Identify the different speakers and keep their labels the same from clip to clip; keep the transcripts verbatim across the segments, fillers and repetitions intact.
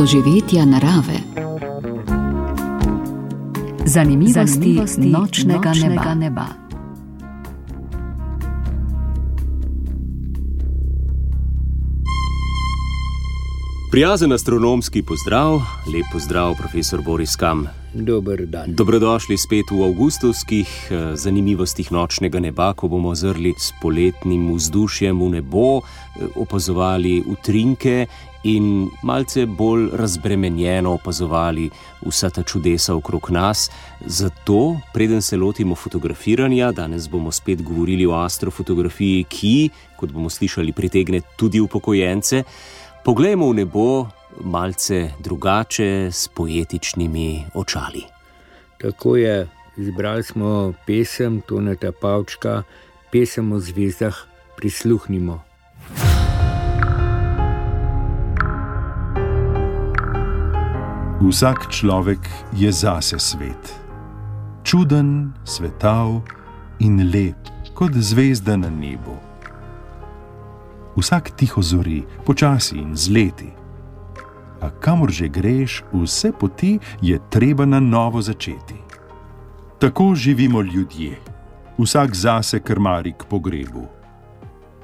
Speaker 1: doživetja narave. Zanimivosti, Zanimivosti nočnega, nočnega neba. neba.
Speaker 2: Prijazen astronomski pozdrav, lep pozdrav, profesor Boris Kam.
Speaker 3: Dober dan.
Speaker 2: Dobrodošli spet v avgustovskih zanimivostih nočnega neba, ko bomo zrli s poletnim vzdušjem v nebo, opazovali utrinke in malce bolj razbremenjeno opazovali vsa ta čudesa okrog nas. Zato, preden se lotimo fotografiranja, danes bomo spet govorili o astrofotografiji, ki, kot bomo slišali, pritegne tudi upokojence. Poglejmo v nebo malce drugače, s poetičnimi očali.
Speaker 3: Tako je, izbrali smo pesem Toneta Pavčka, pesem o zvezdah, prisluhnimo.
Speaker 4: Vsak človek je zase svet. Čuden, svetav in lep, kot zvezda na nebu. Vsak tiho zori, počasi in zleti. A kamor že greš, vse poti je treba na novo začeti. Tako živimo ljudje, vsak zase krmari k pogrebu.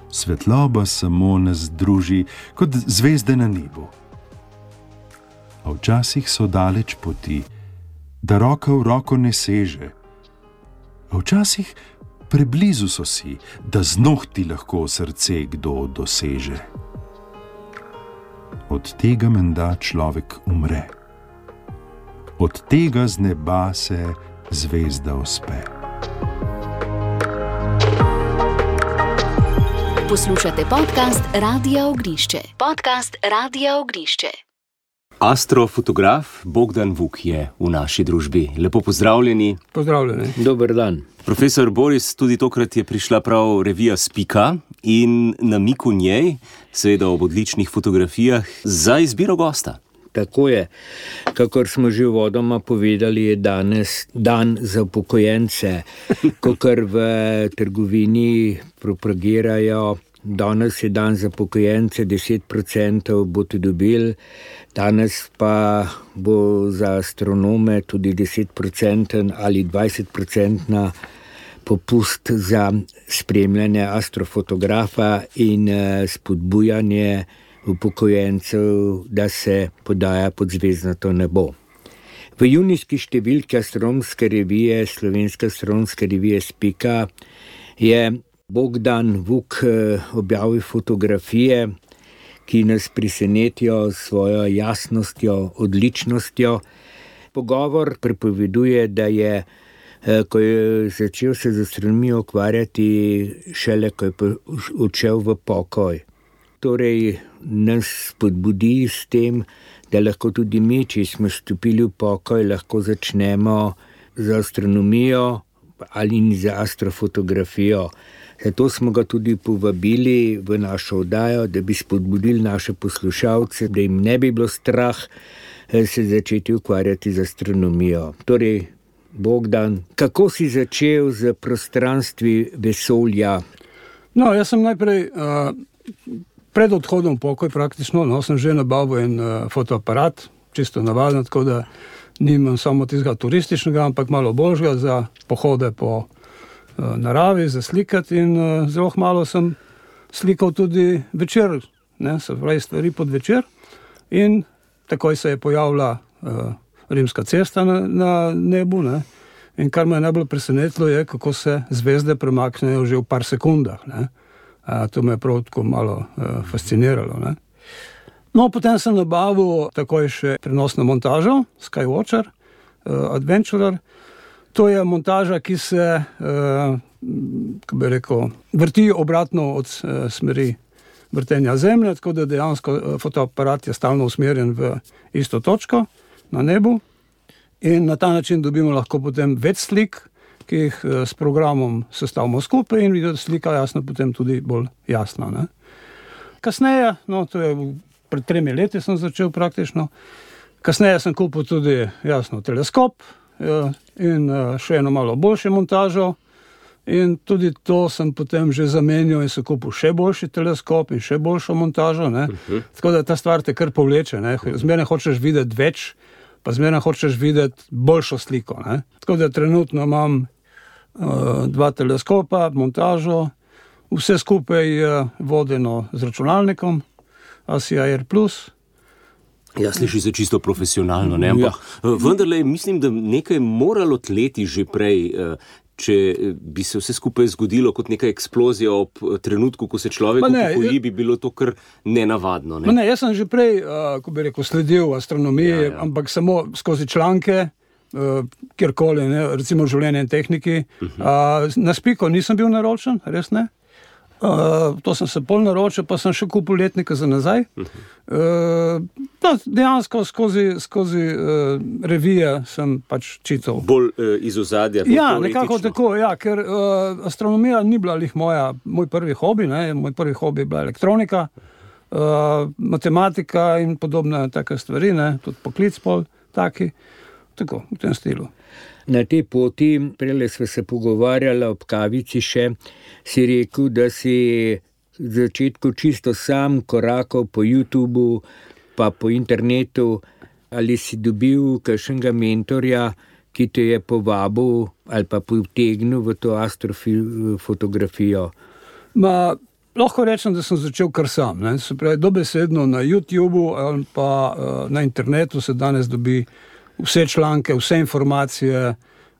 Speaker 4: Svetloba samo nas druži, kot zvezde na nebu. A včasih so daleč poti, da roka v roko ne seže. A včasih preblizu so si, da z nohti lahko srce kdo doseže. Od tega menda človek umre. Od tega z neba se zvezda uspe.
Speaker 1: Poslušate podcast Radia Ognišče. Podcast Radia Ognišče.
Speaker 2: Astrofotograf Bogdan Vuk je v naši družbi. Lepo pozdravljeni.
Speaker 3: Pozdravljeni. Dober dan.
Speaker 2: Profesor Boris, tudi tokrat je prišla prav revija Spika in namig v njej, seveda ob odličnih fotografijah, za izbiro gosta.
Speaker 3: Tako je. Kakor smo že uvodoma povedali, je danes dan za upokojence, kakor v trgovini propagirajo. Danes je dan za upokojence, deset procentov boste dobili, danes pa bo za astronome tudi deset procentov ali dvajset procentov popust za spremljanje astrofotografa in spodbujanje upokojencev, da se podaja pod zvezdnato nebo. V junijski številki astronomske revije, Slovenske astronomske revije Spika, je Bogdan Vuk objavil fotografije, ki nas presenetijo s svojo jasnostjo, odličnostjo. Pogovor pripoveduje, da je, ko je začel se z astronomijo ukvarjati, šele ko je odšel v pokoj. Torej nas spodbudi s tem, da lahko tudi mi, če smo stopili v pokoj, lahko začnemo z astronomijo ali z astrofotografijo. Zato smo ga tudi povabili v našo oddajo, da bi spodbudili naše poslušalce, da jim ne bi bilo strah se začeti ukvarjati z astronomijo. Torej, Bogdan, kako si začel z prostranstvi vesolja?
Speaker 5: No, jaz sem najprej uh, pred odhodom v pokoj praktično, no, sem že nabavil en uh, fotoaparat, čisto navaden, tako da nimam samo tistega turističnega, ampak malo boljšega za pohode po naravi, za slikati in uh, zelo malo sem slikal tudi večer, ne, se pravi stvari pod večer in takoj se je pojavila uh, rimska cesta na, na nebu, ne, in kar me je najbolj presenetilo je, kako se zvezde premaknejo že v par sekundah, ne. Uh, to me je prav tako malo uh, fasciniralo, ne. No, potem sem nabavil takoj še prenosno montažo, Skywatcher, uh, Adventurer. To je montaža, ki se, eh, kako bi rekel, vrti obratno od eh, smeri vrtenja Zemlje, tako da dejansko eh, fotoaparat je stalno usmerjen v isto točko na nebu in na ta način dobimo lahko potem več slik, ki jih eh, s programom sestavimo skupaj in video slika jasno potem tudi bolj jasna, ne. Kasneje, no, to je pred tremi leti sem začel praktično, kasneje sem kupil tudi jasno teleskop, in še eno malo boljšo montažo In tudi to sem potem že zamenjal in se kupil še boljši teleskop in še boljšo montažo. Ne? Uh-huh. Tako da ta stvar te kar povleče. Ne? Zmeraj hočeš videti več, pa zmeraj hočeš videti boljšo sliko. Ne? Tako da trenutno imam uh, dva teleskopa, montažo, vse skupaj je vodeno z računalnikom, A S I A R plus.
Speaker 2: Ja, sliši se čisto profesionalno, ne? Ampak ja. Vendarle mislim, da nekaj moralo tleti že prej, če bi se vse skupaj zgodilo kot neka eksplozija ob trenutku, ko se človek upokoji, bi bilo to kar nenavadno. Ne?
Speaker 5: Ne, jaz sem že prej, ko bi rekel, sledil astronomiji, ja, ja. ampak samo skozi članke, kjerkoli, ne? Recimo življenje in tehniki. Uh-huh. Na Spiko nisem bil naročen, res ne. Uh, to sem se pol naročil, pa sem še kupil letnika za nazaj. Uh, no, dejansko skozi, skozi uh, revije sem pač čital.
Speaker 2: Bolj uh, iz ozadja.
Speaker 5: Ja, nekako tako, ja, ker uh, astronomija ni bila lih moja, moj prvi hobi, ne, moj prvi hobi je bila elektronika, uh, matematika in podobne take stvari, ne, tudi poklic pol taki, tako, v tem stilu.
Speaker 3: Na tej poti, prele sva se pogovarjala ob kavici še, si rekel, da si v začetku čisto sam korakal po YouTubu, pa po internetu, ali si dobil kakšnega mentorja, ki te je povabil ali pa potegnil v to astrofotografijo?
Speaker 5: Ma, lahko rečem, da sem začel kar sam. Ne? Se pravi, dobesedno na YouTubu ali pa uh, na internetu se danes dobi vse članke, vse informacije,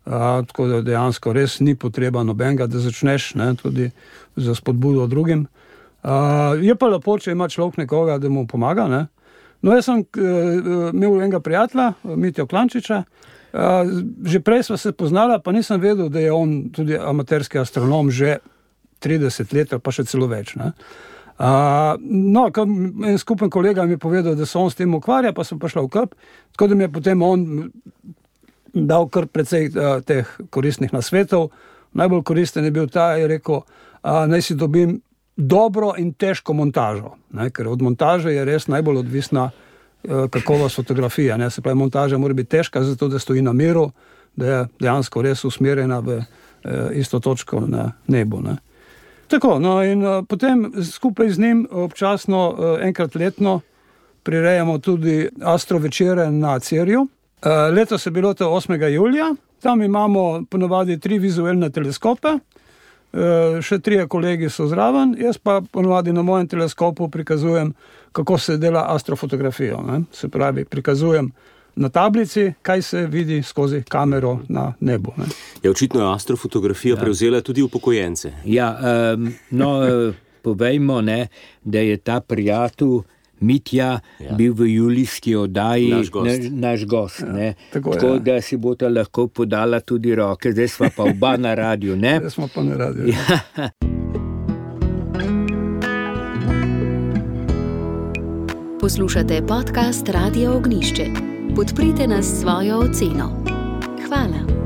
Speaker 5: a, tako da dejansko res ni potreba nobenega, da začneš, ne, tudi za spodbudo drugim. A, je pa lepo, če ima človek nekoga, da mu pomaga. Ne. No, jaz sem e, imel enega prijatelja, Mitjo Klančiča, a, že prej sva se poznala, pa nisem vedel, da je on tudi amaterski astronom že trideset let, pa še celo več. Ne. Uh, no, en skupen kolega mi je povedal, da se on s tem ukvarja, pa sem pa šla v K P, tako da mi je potem on dal kar precej uh, teh koristnih nasvetov. Najbolj koristen je bil ta, je rekel, uh, naj si dobim dobro in težko montažo, ne, ker od montaže je res najbolj odvisna uh, kakovost fotografije. Ne. Se pravi, montaža mora biti težka, zato da stoji na miru, da je dejansko res usmerjena v uh, isto točko na nebu. Ne. Tako, no in uh, potem skupaj z njim občasno uh, enkrat letno prirejamo tudi astrovečere na Cerju. Uh, letos je bilo to osmega julija, tam imamo ponovadi tri vizualne teleskope, uh, še trije kolegi so zraven, jaz pa ponovadi na mojem teleskopu prikazujem, kako se dela astrofotografijo. Ne? Se pravi, prikazujem na tablici, kaj se vidi skozi kamero na nebu. Ne?
Speaker 2: Ja, očitno je astrofotografija ja. prevzela tudi upokojence.
Speaker 3: Ja, um, no, povejmo, ne, da je ta prijatelj Mitja ja. bil v julijski oddaji
Speaker 2: naš gost.
Speaker 3: Ne, naš gost
Speaker 5: ja,
Speaker 3: ne.
Speaker 5: Tako,
Speaker 3: tako
Speaker 5: ja.
Speaker 3: da si bota lahko podala tudi roke, zdaj sva pa oba na radiju. Ne?
Speaker 5: Zdaj smo pa na radiju.
Speaker 3: Ja.
Speaker 1: Poslušate podcast Radio Ognišče. Podprite nas s svojo oceno. Hvala.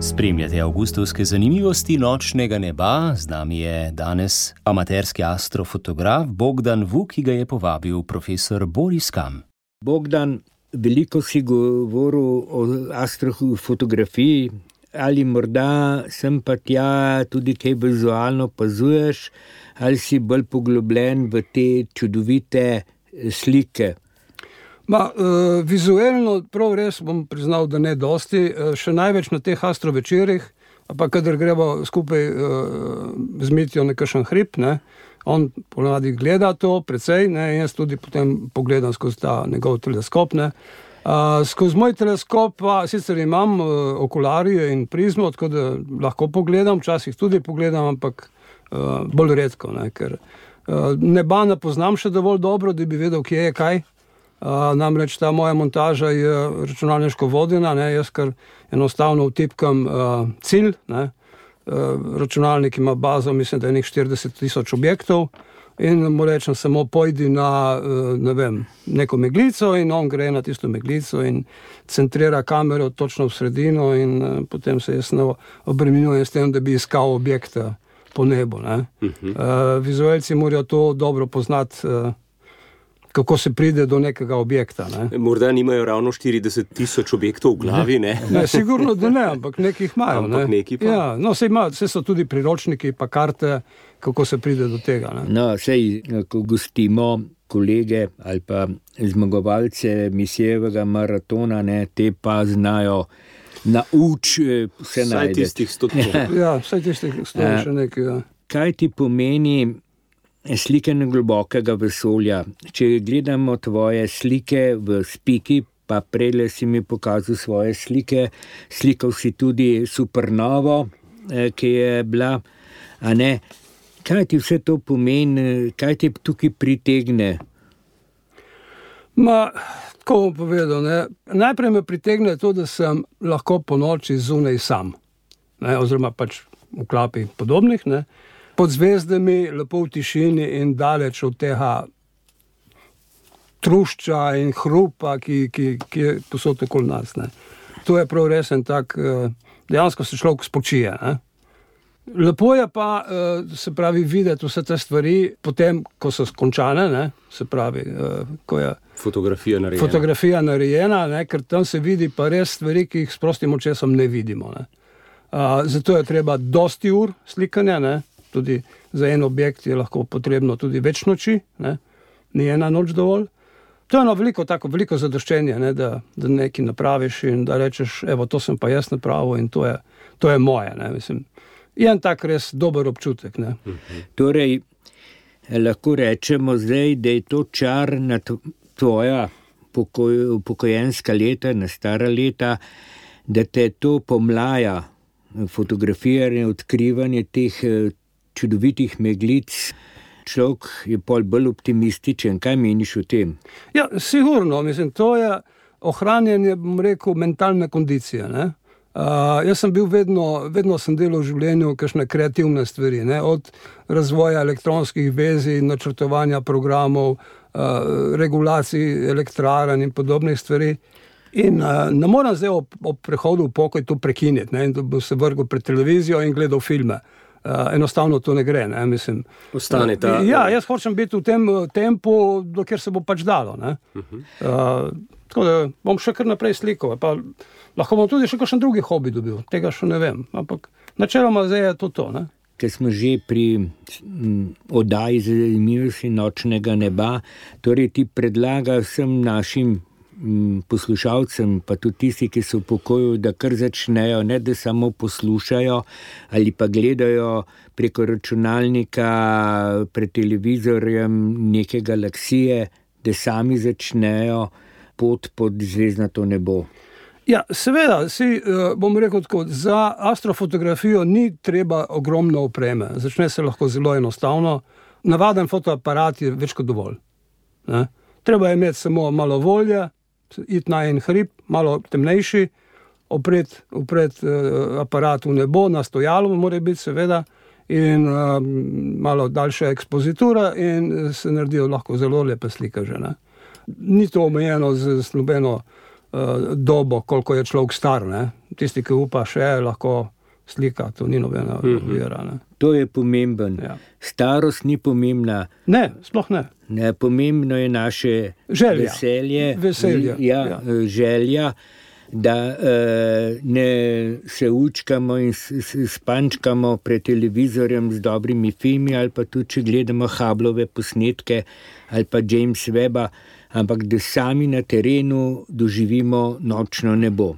Speaker 2: Spremljate avgustovske zanimivosti nočnega neba. Z nami je danes amaterski astrofotograf Bogdan Vuk, ki ga je povabil profesor Boris Kam.
Speaker 3: Bogdan, veliko si govoril o astrofotografiji, ali morda sem pa tja tudi kaj vizualno opazuješ, ali si bolj poglobljen v te čudovite slike?
Speaker 5: Ma, uh, vizualno prav res bom priznal, da ne dosti, uh, še največ na teh astrovečerih, pa kadar gremo skupaj uh, z Mitjo nekakšen hrib, ne, on ponavadi gleda to precej, ne, in jaz tudi potem pogledam skozi ta njegov teleskop. Ne. Uh, skozi moj teleskop pa sicer imam uh, okularije in prizmo, tako da lahko pogledam, včasih tudi pogledam, ampak uh, bolj redko, ne, ker uh, neba ne poznam še dovolj dobro, da bi vedel, kje je kaj. Uh, namreč ta moja montaža je računalniško vodena, ne, jaz kar enostavno vtipkam uh, cilj, ne, uh, računalnik ima bazo, mislim, da je nekaj štirideset tisoč objektov, in mu rečem samo pojdi na, ne vem, neko meglico in on gre na tisto meglico in centrira kamero točno v sredino in potem se jaz obremenjujem s tem, da bi iskal objekte po nebu. Ne. Uh-huh. Uh, vizualci morajo to dobro poznati, uh, kako se pride do nekega objekta. Ne.
Speaker 2: Morda nimajo ravno štirideset tisoč objektov v glavi, ne?
Speaker 5: Ne, sigurno, da ne, ampak nekih imajo.
Speaker 2: Ampak
Speaker 5: ne.
Speaker 2: neki pa.
Speaker 5: Ja, no, sej imajo, vse so tudi priročniki, pa karte, kako se pride do tega. Ne.
Speaker 3: No, sej, ko gostimo kolege ali pa zmagovalce misijevega maratona, ne, te pa znajo nauč vse
Speaker 2: Vsaj
Speaker 3: najde.
Speaker 2: tistih sto.
Speaker 5: Ja, vsaj tistih sto še nekaj. Ja.
Speaker 3: Kaj ti pomeni slikanje globokega vesolja? Če gledamo tvoje slike v Spiki, pa prejle si mi pokazal svoje slike, slikal si tudi supernovo, ki je bila, a ne, kaj ti vse to pomeni, kaj ti tukaj pritegne?
Speaker 5: Ma, tako bom povedal, ne. Najprej me pritegne to, da sem lahko po noči zunaj sam, ne, oziroma pač v klapi podobnih, ne, pod zvezdami, lepo v tišini in daleč od tega trušča in hrupa, ki, ki, ki je posod okoli nas. Ne. To je prav resen tak, dejansko se človek spočije. Ne. Lepo je pa, se pravi, videti vse te stvari potem, ko so skončane, ne, se pravi, ko je
Speaker 2: Fotografija narejena.
Speaker 5: Fotografija narejena, ne, ker tam se vidi pa res stvari, ki jih s prostim očesom ne vidimo. Ne. Zato je treba dosti ur slikanja, ne. Tudi za en objekt je lahko potrebno tudi več noči, ne? Ni ena noč dovolj. To je eno veliko, tako veliko zadoščenje, ne? Da, da nekaj napraviš in da rečeš, evo, to sem pa jaz napravil in to je, to je moje. Ne? Mislim, je en tak res dober občutek. Ne?
Speaker 3: Mhm. Torej, lahko rečemo zdaj, da je to čar na tvoja pokoj, upokojenska leta, na stara leta, da te to pomlaja, fotografiranje, odkrivanje teh čudovitih meglic, človek je pol bolj optimističen. Kaj meniš o tem?
Speaker 5: Ja, sigurno, mislim, to je ohranjanje, bom rekel, mentalne kondicije, ne. Uh, jaz sem bil vedno, vedno sem delal v življenju kakšne kreativne stvari, ne, od razvoja elektronskih vezij, načrtovanja programov, uh, regulacij elektrarn in podobnih stvari. In uh, ne moram zdaj ob, ob prehodu v pokoj to prekiniti, ne, in da bo se vrgel pred televizijo in gledal filme. Uh, enostavno to ne gre, ne, mislim.
Speaker 2: Ostane ta...
Speaker 5: Ja, jaz hočem biti v tem tempu, dokler se bo pač dalo, ne. Uh-huh. Uh, tako da bom še kar naprej slikal, pa lahko bom tudi še kakšen drugi hobi dobil, tega še ne vem, ampak načeloma zdaj je to to, ne.
Speaker 3: Ker smo že pri oddaji zanimivosti nočnega neba, torej ti predlaga vsem našim poslušalcem, pa tudi tisti, ki so v pokoju, da kar začnejo, ne da samo poslušajo ali pa gledajo preko računalnika, pred televizorjem neke galaksije, da sami začnejo pot pod zvezdnato nebo.
Speaker 5: Ja, seveda, si, bom rekel tako, za astrofotografijo ni treba ogromno opreme. Začne se lahko zelo enostavno. Navaden fotoaparat je več kot dovolj. Ne? Treba je imeti samo malo volje, iti na en hrib, malo temnejši, opret, opret uh, aparat v nebo, na stojalo mora biti seveda, in uh, malo daljša ekspozitura in se naredijo lahko zelo lepe slike že. Ne? Ni to omejeno z, z nobeno uh, dobo, koliko je človek star. Ne? Tisti, ki upa še, lahko slika, to ni nobena ovira. Ne?
Speaker 3: To je pomemben. Ja. Starost ni pomembna.
Speaker 5: Ne, sploh ne.
Speaker 3: Ne, pomembno je naše
Speaker 5: želja.
Speaker 3: veselje,
Speaker 5: Veselje,
Speaker 3: ja,
Speaker 5: ja.
Speaker 3: želja, da uh, ne se učkamo in spančkamo pred televizorjem z dobrimi filmi ali pa tudi, če gledamo Hubbleove posnetke ali pa James Webba, ampak da sami na terenu doživimo nočno nebo.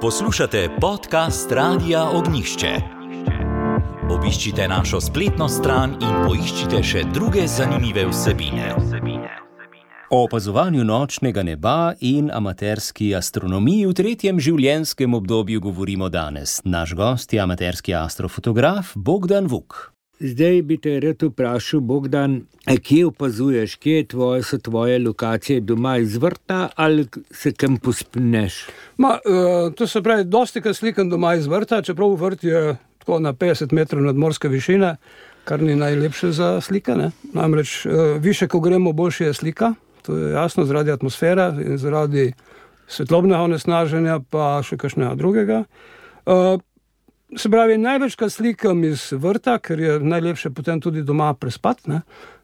Speaker 6: Poslušate podcast Radia Ognjišče. Obiščite našo spletno stran in poiščite še druge zanimive vsebine.
Speaker 2: O opazovanju nočnega neba in amaterski astronomiji v tretjem življenjskem obdobju govorimo danes. Naš gost je amaterski astrofotograf Bogdan Vuk.
Speaker 3: Zdaj bi te rad vprašal, Bogdan, kje opazuješ, kje je tvoje, so tvoje lokacije doma iz vrta ali se kam pospneš?
Speaker 5: Ma, uh, to se pravi, dosti krat slikam doma iz vrta, čeprav vrt je tako na petdeset metrov nadmorske višine, kar ni najlepše za slikanje. Namreč uh, više, ko gremo, boljše je slika, to je jasno, zaradi atmosfere in zaradi svetlobnega onesnaženja, pa še kakšnega drugega. Uh, Se pravi, največkrat slikam iz vrta, ker je najlepše potem tudi doma prespati, ne.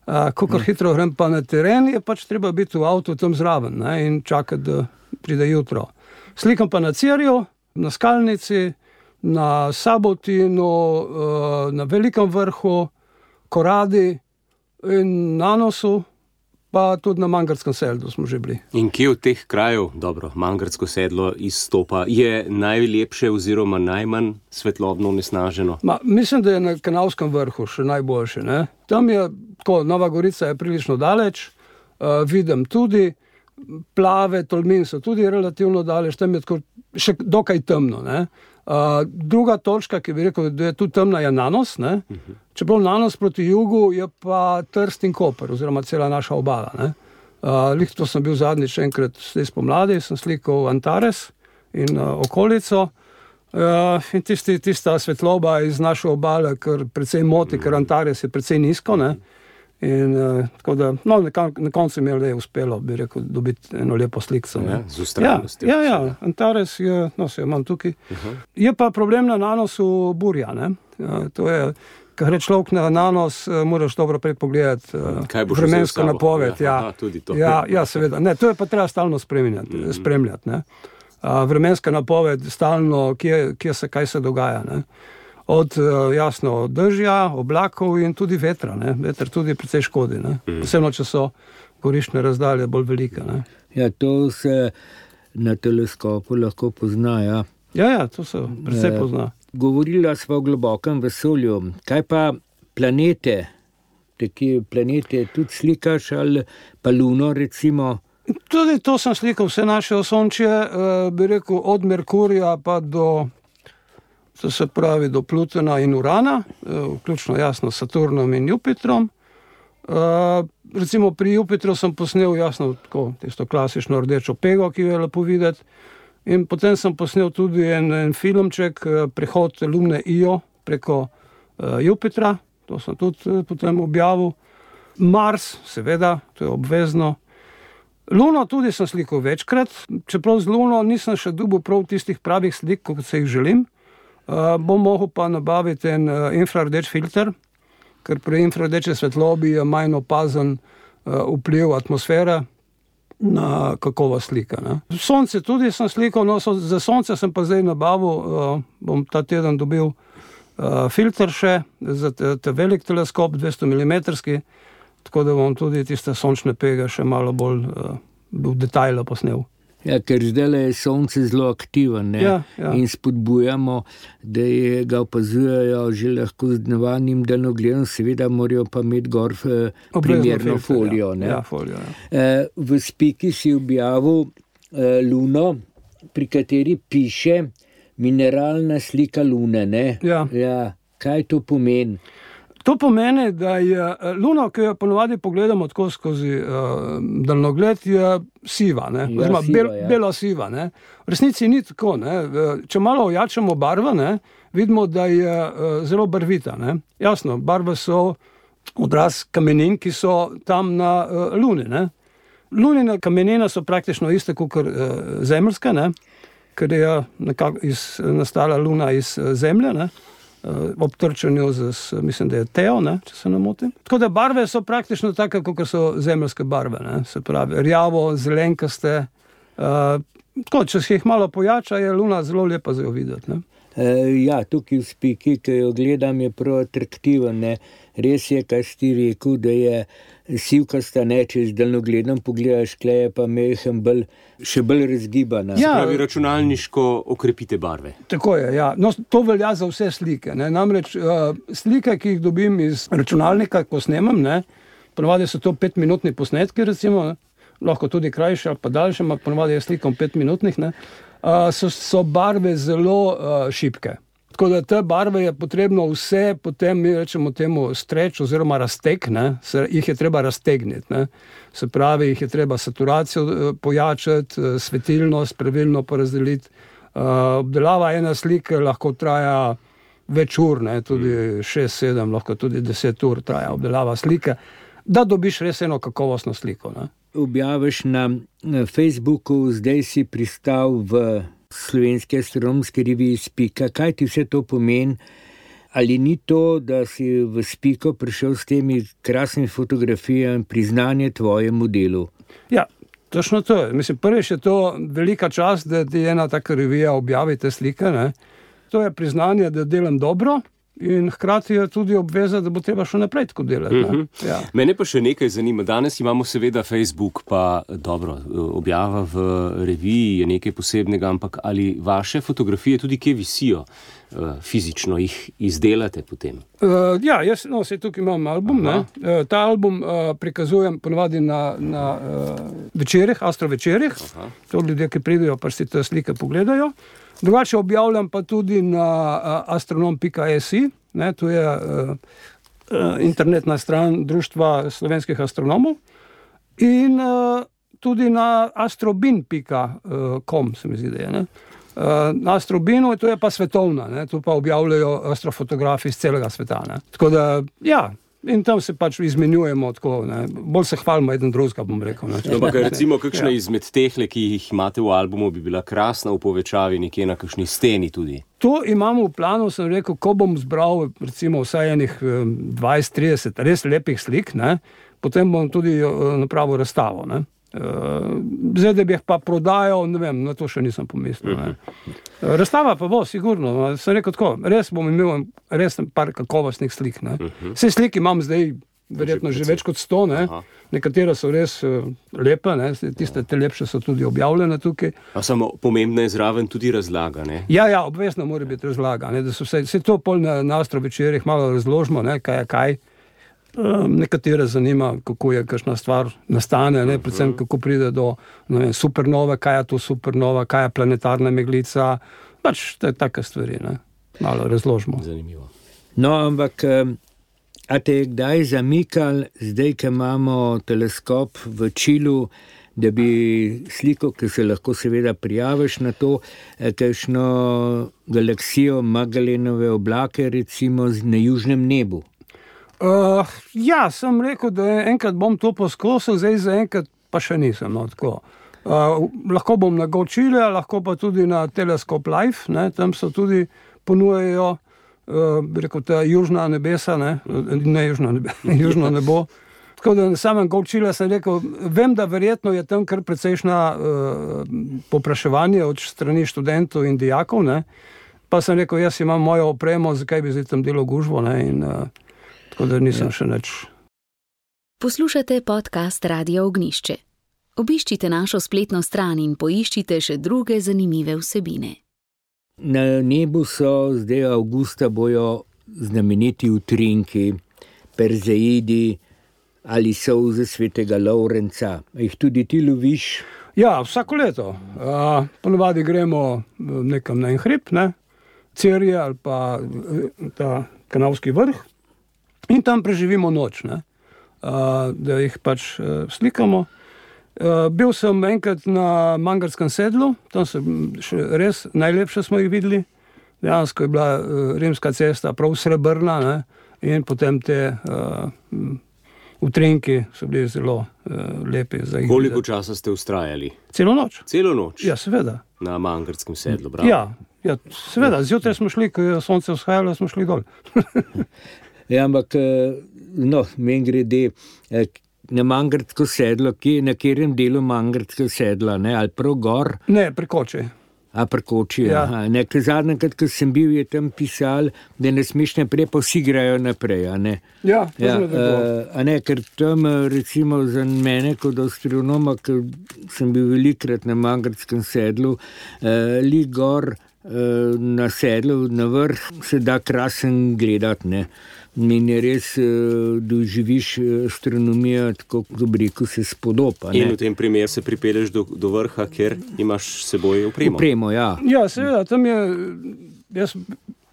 Speaker 5: Kako hitro grem pa na teren, je pač treba biti v avtu tam zraven, ne, in čakati, da pride jutro. Slikam pa na Cirju, na Skalnici, na Sabotinu, na Velikem vrhu, Koradi in Nanosu, pa tudi na Mangartskem sedlu smo že bili.
Speaker 2: In kje od teh krajev, dobro, Mangartsko sedlo izstopa, je najlepše oziroma najmanj svetlobno onesnaženo?
Speaker 5: Ma, mislim, da je na Kanalskem vrhu še najboljše. Ne? Tam je, tako, Nova Gorica je prilično daleč, uh, vidim tudi, Plave, Tolmin so tudi relativno daleč, tam je tako, še dokaj temno. Ne? Uh, druga točka, ki bi rekel, da je tu temna, je Nanos. Ne? Uh-huh. Čeprav Nanos proti jugu je pa Trst in Koper, oziroma cela naša obala. Ne? Uh, Lih to sem bil zadnjič enkrat zdaj spomladi, sem slikal Antares in uh, okolico. Uh, in tisti, tista svetloba iz naše obale, ker precej moti, ker Antares je precej nizko. Ne? In uh, tako da, no, na koncu mi je le uspelo, bi rekel, dobiti eno lepo slikco.
Speaker 2: Ja, z ustrajnostjo.
Speaker 5: Ja, ja, ja, Antares je, no, se jo imam tukaj. Uh-huh. Je pa problem na Nanosu burja, ne? Uh, to je, ko gre človek na Nanos, uh, moraš dobro predpogledati uh, vremensko napoved. Ja, ja, tudi to. Ja, ja, seveda. Ne, to je pa treba stalno spremljati, uh-huh. spremljati, ne? Uh, vremenska napoved stalno, kje, kje se, kaj se dogaja, ne? Od, jasno, dežja, oblakov in tudi vetra. Ne? Veter tudi precej škodi. Ne? Posebno, če so gorišne razdalje bolj velike. Ne?
Speaker 3: Ja, to se na teleskopu lahko pozna. Ja,
Speaker 5: ja, ja to se precej pozna.
Speaker 3: Govorila sva o globokem vesolju. Kaj pa planete? Taki planete tudi slikaš ali pa Luno, recimo?
Speaker 5: Tudi to sem slikal, vse naše osončje, bi rekel, od Merkurja pa do... To se pravi do Plutona in Urana, vključno jasno s Saturnom in Jupitrom. Uh, recimo pri Jupitru sem posnel jasno tako, tisto klasično rdečo pego, ki jo je lepo videti. In potem sem posnel tudi en, en filmček, prehod Lune Io preko uh, Jupitra. To sem tudi uh, potem objavil. Mars, seveda, to je obvezno. Luno tudi sem slikal večkrat, čeprav z Luno nisem še dobil prav tistih pravih slik, kot se jih želim. Uh, bom mogel pa nabaviti en uh, infrardeč filter, ker pri infrardeči svetlobi je manj opazen uh, vpliv atmosfere na kakovost slika. Ne? Sonce tudi sem slikal, no, so, za sonce sem pa zdaj nabavil, uh, bom ta teden dobil uh, filter še, za te, te velik teleskop, dvesto milimetrski, tako da bom tudi tiste sončne pege še malo bolj uh, v detajlu posnel.
Speaker 3: Ja, ker zdaj je sonce zelo aktiven, ne?
Speaker 5: Ja, ja.
Speaker 3: In spodbujamo, da je, ga opazujejo že lahko z navadnim daljnogledom, seveda morajo pa imeti gor primerno filter, folijo.
Speaker 5: Ja, ja, folijo ja.
Speaker 3: E, v Spiki si objavil e, Luno, pri kateri piše mineralna slika Lune. Ne?
Speaker 5: Ja.
Speaker 3: Ja, kaj to pomeni?
Speaker 5: To pomeni, da je Luna, ki jo ponovadi pogledamo tako skozi uh, daljnogled, je siva, ne? Ja, Oziroma, siva, bel, ja. bela siva. Ne? V resnici ni tako. Ne? Če malo ojačamo barve, ne? Vidimo, da je uh, zelo barvita. Ne? Jasno, barve so odraz kamenin, ki so tam na uh, Luni. Ne? Lunine kamenine so praktično iste kot uh, zemeljske, ne? Ker je nekako iz, nastala Luna iz uh, Zemlje, ne? ob trčanju z, mislim, da je Teo, ne, če se ne motim. Tako da barve so praktično take, kot so zemeljske barve, ne, se pravi, rjavo, zelenkaste. Uh, tako, če se jih malo pojača, je Luna zelo lepa za jo videti, ne.
Speaker 3: E, ja, tukaj v Spiki, ki jo gledam, je prav atraktiven, ne. Res je, kaj si ti rekel, da je sivkasta, ne, če z daljnogledom pogledaš, kle je pa mehen bolj, še bolj razgibana.
Speaker 2: Ja, se pravi, računalniško okrepite barve.
Speaker 5: Tako je, ja. No, to velja za vse slike, ne. Namreč uh, slike, ki jih dobim iz računalnika, ko snemam, ne, ponovadi so to petminutni posnetki, recimo, ne, lahko tudi krajše ali pa daljše, ampak ponovadi je slikom petminutnih, ne, uh, so, so barve zelo uh, šibke. Tako da te barve je potrebno vse, potem mi rečemo temu streč oziroma razteg, ne, se, jih je treba raztegniti, ne. Se pravi, jih je treba saturacijo pojačati, svetilnost pravilno porazdeliti. Uh, obdelava ena slike lahko traja več ur, ne, tudi šest, sedem, lahko tudi deset ur traja obdelava slike, da dobiš res eno kakovostno sliko, ne.
Speaker 3: Objaviš na Facebooku, zdaj si pristal v Slovenske astronomske revije Spika. Kaj ti vse to pomeni? ali ni to, da si v Spiko prišel s temi krasnimi fotografijami priznanje tvojemu delu?
Speaker 5: Ja, točno to je. Mislim, prvič je to velika čast, da ti ena taka revija objavi te slike, ne. To je priznanje, da delam dobro. In hkrati je tudi obveza, da bo treba še naprej tako delati.
Speaker 2: Mm-hmm.
Speaker 5: Ja.
Speaker 2: Mene pa še nekaj zanima. Danes imamo seveda Facebook, pa dobro, objava v reviji je nekaj posebnega, ampak ali vaše fotografije tudi kje visijo, fizično jih izdelate potem?
Speaker 5: Uh, ja, jaz no, se tukaj imam album. Ne? Uh, ta album uh, prikazujem ponovadi na, na uh, večerih, astrovečerih. To ljudje, ki pridejo, pa si te slike pogledajo. Drugače objavljam pa tudi na uh, astronom pika si, ne, to je uh, uh, internetna stran Društva slovenskih astronomov, in uh, tudi na astrobin pika com se mi zdi, da je. Ne. Uh, na astrobinu, to je pa svetovna, ne, to pa objavljajo astrofotografi iz celega sveta. Ne. Tako da, ja, in tam se pač izmenjujemo tako, ne. Bolj se hvalimo eden drugega, bom rekel. Ne.
Speaker 2: No, pa recimo, kakšna ja. izmed tehle, ki jih imate v albumu, bi bila krasna v povečavi nekje na kakšni steni tudi?
Speaker 5: To imamo v planu, sem rekel, ko bom zbral recimo vsaj enih dvajset trideset res lepih slik, ne, potem bom tudi napravil razstavo, ne. Zdaj, da bi jih pa prodajal, ne vem, na to še nisem pomislil. Ne. Razstava pa bo, sigurno. Sem rekel tako, res bom imel res par kakovostnih slik. Ne. Vse slike imam zdaj verjetno že, že več kot sto, ne. Nekatere so res lepe, ne. Tiste te lepše so tudi objavljene tukaj.
Speaker 2: A samo pomembna je zraven tudi razlaga, ne?
Speaker 5: Ja, ja, obvezno mora biti razlaga, ne. Da so vse, vse to pol na, na astrovečerih malo razložimo, ne, kaj je kaj. Um, nekatere zanima, kako je kakšna stvar nastane, ne, predvsem kako pride do ne vem, supernove, kaj je to supernova, kaj je planetarna meglica, pač te take stvari, ne, malo razložimo.
Speaker 2: Zanimivo.
Speaker 3: No, ampak, a te je kdaj zamikal, zdaj, ko imamo teleskop v Čilu, da bi sliko, ki se lahko seveda prijaviš na to, kakšno galaksijo Magellanove oblake, recimo na južnem nebu?
Speaker 5: Uh, ja, sem rekel, da enkrat bom to poskusil, zdaj za enkrat pa še nisem. No, tako. Uh, lahko bom na Gočile, lahko pa tudi na Teleskop Live, ne, tam so tudi ponujajo, uh, bi rekel, ta južna nebesa, ne, ne južna nebe, južno nebo. Tako da na samem Gočile sem rekel, vem, da verjetno je tam kar precejšna uh, popraševanje od strani študentov in dijakov, ne, pa sem rekel, jaz imam mojo opremo, zakaj bi zdaj tam delo gužvo, ne, in uh, tako da nisem ja. še nič.
Speaker 1: Poslušate podcast Radia Ognjišče. Obiščite našo spletno stran in poiščite še druge zanimive vsebine.
Speaker 3: Na nebu so zdaj avgusta bojo znameniti utrinki, Perzeidi ali solze svetega Lovrenca. Jih tudi ti loviš?
Speaker 5: Ja, vsako leto. Uh, ponovadi gremo nekam na en hrib, ne? Cerje ali pa ta Kanalski vrh. In tam preživimo noč, ne? Uh, da jih pač uh, slikamo. Uh, bil sem enkrat na Mangarskem sedlu, tam so še res najlepše smo jih videli. Dejansko je bila uh, rimska cesta prav srebrna, ne? In potem te uh, utrinki so bili zelo uh, lepi. Za
Speaker 2: Koliko
Speaker 5: videti.
Speaker 2: Časa ste vztrajali?
Speaker 5: Celo noč.
Speaker 2: Celo noč?
Speaker 5: Ja, seveda.
Speaker 2: Na Mangarskem sedlu, bravo.
Speaker 5: Ja, ja, seveda. Zjutraj smo šli, ko je sonce vzhajalo, smo šli dol.
Speaker 3: Ja, ampak, no, meni grede na Mangarsko sedlo, ki, na katerem delu Mangarskega sedla, ne, ali prav gor?
Speaker 5: Ne, pri Koči.
Speaker 3: A pri Koči,
Speaker 5: ja.
Speaker 3: Aha. Ne, ker zadnjikrat, ko sem bil, je tam pisal, da ne smeš naprej, pa vsi grejo naprej, a ne?
Speaker 5: Ja,
Speaker 3: ja uh, a ne, ker tam, recimo, za mene kot astronoma, ker sem bil velikrat na Mangarskem sedlu, uh, li gor uh, na sedlu, na vrh, se da krasen gledati, ne? In je res, doživiš astronomijo, tako kot rekel, se spodoba.
Speaker 2: In v tem primeru se pripelješ do, do vrha, ker imaš s seboj opremo.
Speaker 3: Opremo, ja.
Speaker 5: Ja, seveda, tam je, jaz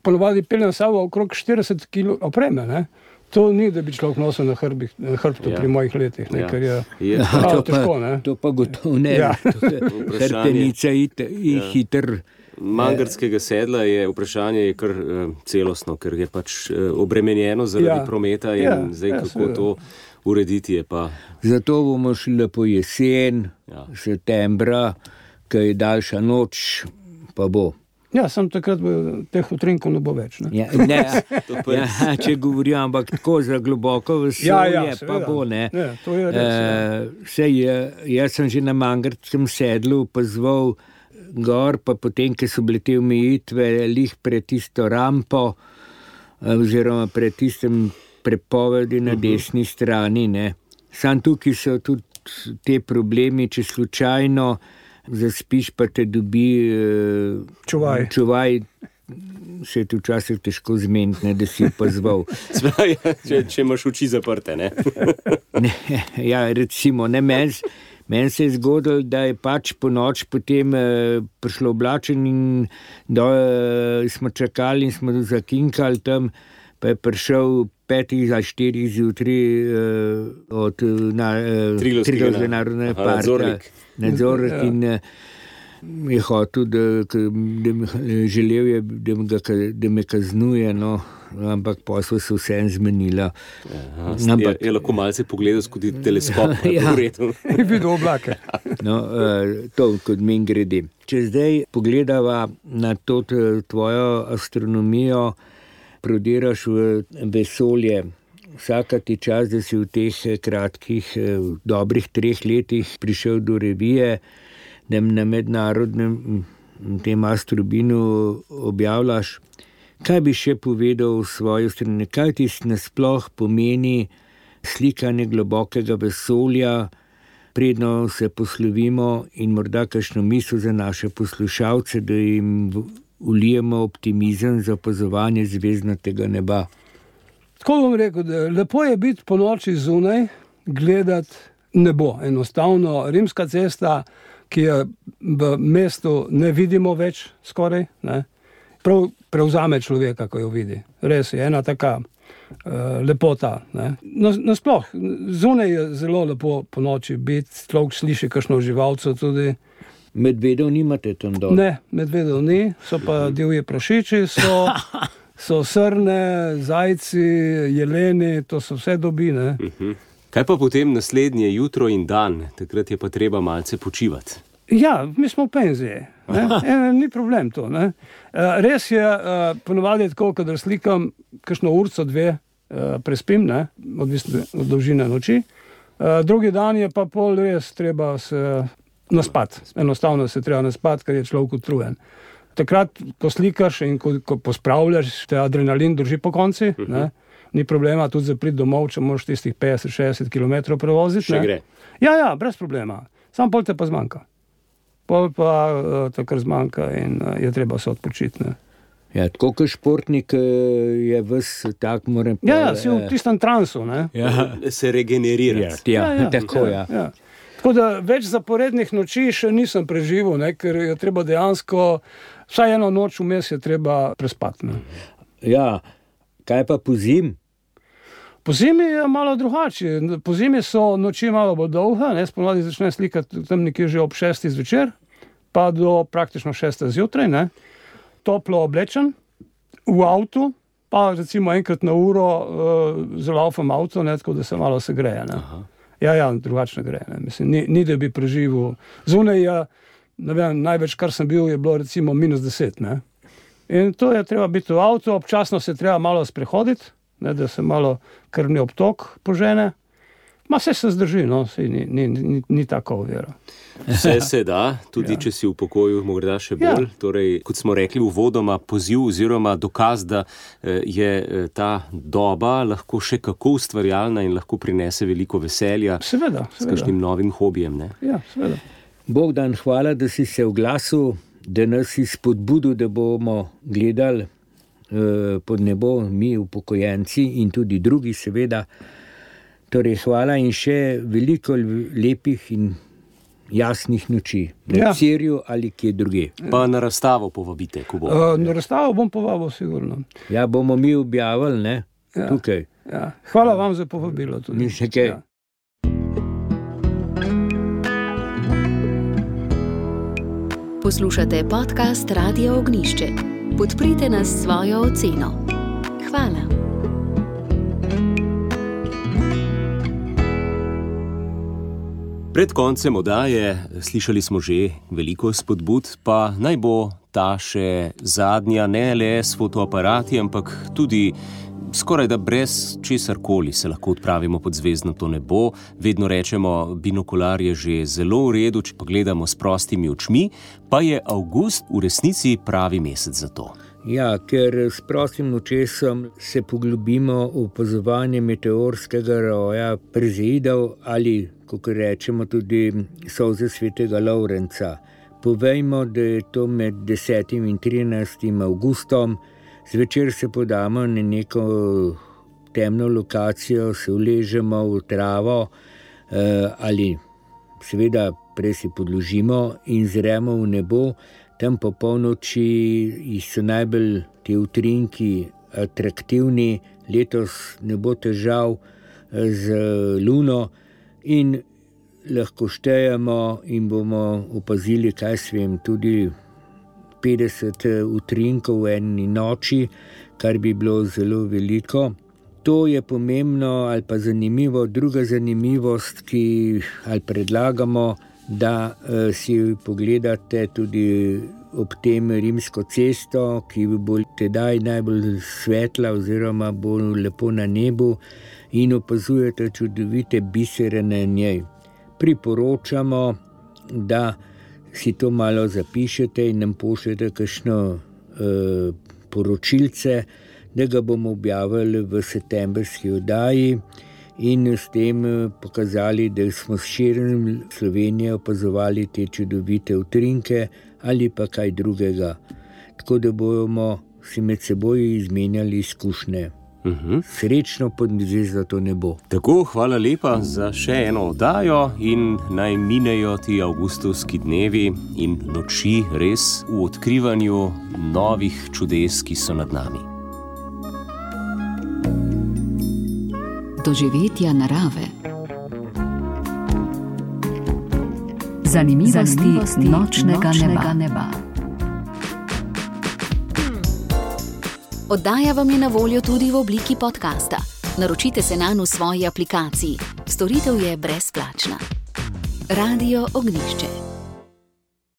Speaker 5: ponovadi peljem sabo okrog štirideset kil opreme, ne. To ni, da bi človek nosil na hrbih, hrbtu ja. pri mojih letih, ne, ja. ker je, je.
Speaker 3: to,
Speaker 5: težko,
Speaker 3: pa, to pa gotovo ne. Ja. Hrtenica je
Speaker 2: ja.
Speaker 3: hiter.
Speaker 2: Mangarskega sedla je vprašanje je kar uh, celostno, ker je pač uh, obremenjeno zaradi ja. prometa in ja. zdaj ja, kako seveda. To urediti je pa.
Speaker 3: Zato bomo šli lepo jesen, ja. septembra, ko je daljša noč, pa bo.
Speaker 5: Ja, sem takrat v teh utrinkov ne bo več. Ne?
Speaker 3: Ja, ne, ja, če govorim, ampak tako za globoko vesolje, ja, ja, pa bo, ne.
Speaker 5: Ne, to je res,
Speaker 3: uh, sej, jaz sem že na Mangartskem sedlu opazoval gor, pa potem, ko so bile te omejitve lih pred tisto rampo, oziroma pred tistem prepovedi na desni strani, ne. Sam tukaj so tudi te problemi, če slučajno zaspiš, pa te dobi uh,
Speaker 5: čuvaj.
Speaker 3: čuvaj, se ti včasih težko zmeniti, da si opazval.
Speaker 2: če, če imaš oči zaprte, ne?
Speaker 3: ne ja, recimo, ne, meni men se je zgodilo, da je pač po noč potem uh, prišlo oblačen in do, uh, smo čakali in smo zakinkali tam, pa je prišel petih ali štirih zjutraj uh, od na, uh, Triglavskega narodnega parka.
Speaker 2: Nadzornik.
Speaker 3: Nadzornik
Speaker 5: Ja.
Speaker 3: in uh, je hotel, da, da me, želel je, da me, da me kaznuje, no, ampak posel se vsem zmenila.
Speaker 2: Aha, ampak, je, je lahko malce pogledal skozi teleskop.
Speaker 3: Ja.
Speaker 5: In videl oblake.
Speaker 3: No, uh, to kot min grede. Če zdaj pogledava na to tvojo astronomijo, prodiraš v vesolje, vsaka ti čas, da si v teh kratkih, v dobrih treh letih prišel do revije, da na mednarodnem tem astrobinu objavljaš. Kaj bi še povedal v svoji strani? Kaj ti nasploh pomeni slikanje globokega vesolja, predno se poslovimo in morda kakšno misel za naše poslušalce, da jim ulijemo optimizem za opazovanje zvezdnatega neba?
Speaker 5: Tako bom rekel, da lepo je biti po noči zunaj, gledati nebo. Enostavno, rimska cesta, ki je v mestu ne vidimo več skoraj, ne, prav prevzame človeka, ko jo vidi. Res je ena taka uh, lepota. Ne. Nasploh, zunaj je zelo lepo po noči biti, človek sliši kakšno živalco tudi.
Speaker 3: Medvedov nimate tam dol?
Speaker 5: Ne, medvedov ni, so pa divji prašiči, so, so srne, zajci, jeleni, to so vse dobi, ne.
Speaker 2: Kaj pa potem naslednje jutro in dan? Takrat je pa treba malce počivati.
Speaker 5: Ja, mi smo v penziji, ne? E, ni problem to, ne. E, res je, e, ponovadi tako, kadar slikam kakšno urco, dve, e, prespim, ne, odvisno od dolžine noči. E, drugi dan je pa pol res treba se naspati. Enostavno se treba naspati, ker je človek utrujen. Takrat, ko slikaš in ko, ko pospravljaš, te adrenalin drži po konci, uh-huh. ne? Ni problema tudi za priti domov, če moraš tistih petdeset šestdeset kilometrov prevoziti.
Speaker 2: Še
Speaker 5: ne?
Speaker 2: gre.
Speaker 5: Ja, ja, brez problema. Sam pol te pa zmanjka. Pol pa uh, takrat zmanjka in uh, je treba se odpočiti. Ne?
Speaker 3: Ja, tako kot športnik je ves tak, moram pa...
Speaker 5: Ja, ja, si v tistem transu, ne?
Speaker 2: Ja. Se regenerirati.
Speaker 3: Ja, ja,
Speaker 5: ja,
Speaker 3: tako, ja.
Speaker 5: ja. ja. Tako da več zaporednih noči še nisem preživel, ne, ker je treba dejansko, vsaj eno noč vmes je treba prespati. Ne.
Speaker 3: Ja, kaj pa po zim?
Speaker 5: Po zimi je malo drugače. Po zimi so noči malo bolj dolge, ne, spomladi začne slikati tam nekje že ob šestih zvečer, pa do praktično šeste zjutraj, ne. Toplo oblečen, v avtu, pa recimo enkrat na uro uh, zalaufam avto, ne, tako da se malo segreje, ne. Aha. Ja, ja, drugačno gre. Ne. Mislim, ni, ni, da bi preživel. Zunaj je, ne vem, največ, kar sem bil, je bilo recimo minus deset. Ne. In to je treba biti v avtu, občasno se treba malo sprehoditi, ne, da se malo krvni obtok požene. Ma vse se zdrži, no, vse ni, ni, ni, ni tako ovira.
Speaker 2: Vse se da, tudi ja. Če si v pokoju morda še bolj. Ja. Torej, kot smo rekli uvodoma, poziv oziroma dokaz, da je ta doba lahko še kako ustvarjalna in lahko prinese veliko veselja.
Speaker 5: Seveda, seveda.
Speaker 2: S kakšnim novim hobijem. Ne?
Speaker 5: Ja, seveda.
Speaker 3: Bogdan, hvala, da si se oglasil, da nas si spodbudil, da bomo gledali eh, pod nebo, mi upokojenci in tudi drugi seveda. Torej, hvala in še veliko lepih in jasnih noči. Na
Speaker 5: Ja.
Speaker 3: Cirju ali kje druge.
Speaker 2: Pa na razstavo povabite, ko bo.
Speaker 5: Uh, na razstavo bom povabil, sigurno.
Speaker 3: Ja, bomo mi objavili, ne?
Speaker 5: Ja.
Speaker 3: Tukaj.
Speaker 5: Ja. Hvala vam za povabilo tudi.
Speaker 3: Ni še kaj.
Speaker 5: Ja.
Speaker 1: Poslušate podcast Radia Ognišče. Podprite nas s svojo oceno. Hvala.
Speaker 2: Pred koncem oddaje slišali smo že veliko spodbud, pa naj bo ta še zadnja, ne le s fotoaparati, ampak tudi skoraj da brez česarkoli se lahko odpravimo pod zvezdnato nebo. Vedno rečemo, binokular je že zelo v redu, če pogledamo s prostimi očmi, pa je avgust v resnici pravi mesec za to.
Speaker 3: Ja, ker s prostim očesom se poglobimo v opazovanje meteorskega roja Perzeidov ali, kot rečemo, tudi solze svetega Lovrenca. Povejmo, da je to med desetim in trinajstim avgustom. Zvečer se podamo na neko temno lokacijo, se uležemo v travo ali seveda prej se podložimo in zremo v nebo. Tam po polnoči so najbolj ti utrinki atraktivni, letos ne bo težav z luno in lahko štejemo in bomo opazili, kaj svem, tudi petdeset utrinkov v eni noči, kar bi bilo zelo veliko. To je pomembno ali pa zanimivo. Druga zanimivost, ki ali predlagamo, da si pogledate tudi ob tem Rimsko cesto, ki bo tedaj najbolj svetla oziroma bo lepo na nebu in opazujete čudovite bisere na njej. Priporočamo, da si to malo zapišete in nam pošljete kakšno e, poročilce, da ga bomo objavili v septembrski oddaji in s tem pokazali, da smo s širom Slovenije opazovali te čudovite utrinke ali pa kaj drugega. Tako da bomo si med seboj izmenjali izkušnje.
Speaker 2: Uh-huh.
Speaker 3: Srečno pod zvezdato nebo.
Speaker 2: Tako, hvala lepa za še eno oddajo in naj minejo ti avgustovski dnevi in noči res v odkrivanju novih čudes, ki so nad nami.
Speaker 1: Doživetja narave. Zanimivosti, Zanimivosti nočnega, nočnega neba. neba. Oddaja vam je na voljo tudi v obliki podcasta. Naročite se nanj v svoji aplikaciji. Storitev je brezplačna. Radio Ognjišče.